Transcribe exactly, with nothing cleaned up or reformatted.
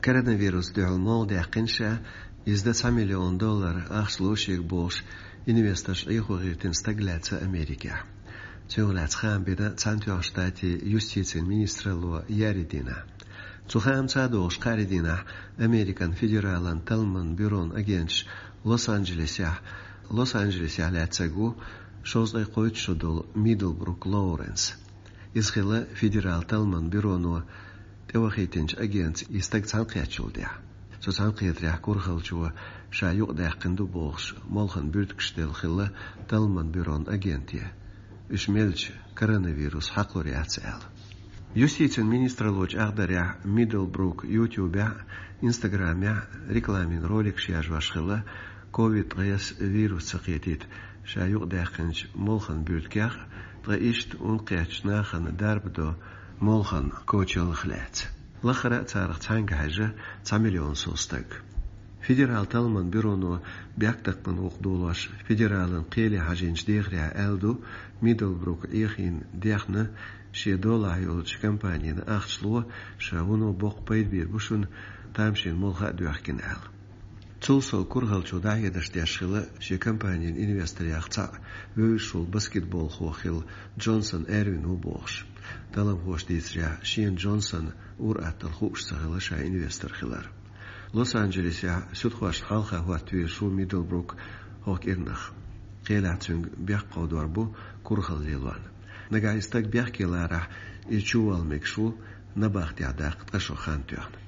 Коронавирус дуьхьал молла даьккхина ша, иза дан цхьа миллион доллар ахча лу шега бохуш, инвесторш Ӏехо гӀиртина стаг лаьцна Америкехь. Цунах лаьцна хаам бина Цхьаьнатоьхначу Штатийн юстицин министралло еарин дийнахь. Цу хаамца а догӀуш, кхаарин дийнахь Американ федералан талламан бюрон агенташ Лос-Анджелесехь, Лос-Анджелесехь лаьцнарг ву шовзткъе кхойтта шо долу Миддлбрук Лоуренс. Иза хилла федерал талламан бюроно тӀевахийтинчу агентца и стаг цхьаьнакхеттачул тӀаьхьа. Цу цхьаьнакхетарехь курхалчо ша юкъадаьккхина ду бохуш, молханан буьртигаш делла хилла талламан бюрон агенте, уьш мелча коронавирус хьакхалур яц аьлла. Юстицин министралло чӀагӀдарехь, Миддлбрук YouTube-ехь, Instagram-ехь рекламин роликаш яржош хилла, ковид ткъаесна вирус ца кхетийта ша юкъадаьккхинчу молханан буьртигех, ткъа иштта ун кхеттачу нахана дарба до молханан кочаллех лаьцна. Лаххара а царах цхьаьнга хьаьжна цхьа миллион сов стаг. Федерал талламан бюроно бехктакхаман вукху долош федералан кхеле хьажийначу дехарехь аьлла ду, Миддлбрук Ӏехийна дехна шен долахь йолчу компанина ахча ло, ша вуно боккха пайда бийр бу шуна, тамашийна молха а доьхкина аьлла. Цул сов курхалчо дӀахьедарш деш хилла шен компанин инвесторех цхьаъ вевзаш волу баскетболхо хилла Джонсон Эрвин ву бохуш. Талламхоша дийцарехь, шена Джонсона ур-атталла хууш ца хилла ша инвестор хилар. Лос-Анджелесехь суьдхошна хьалха хӀоттавезаш ву Миддлбрук хӀокху кӀирнах. Кхелехь цуьнга бехк кховдор бу курхалла лелорна. Нагахь и стаг бехке ларахь, иза чуволла мегаш ву набахтехь даккха ткъа шо хан тоьхна.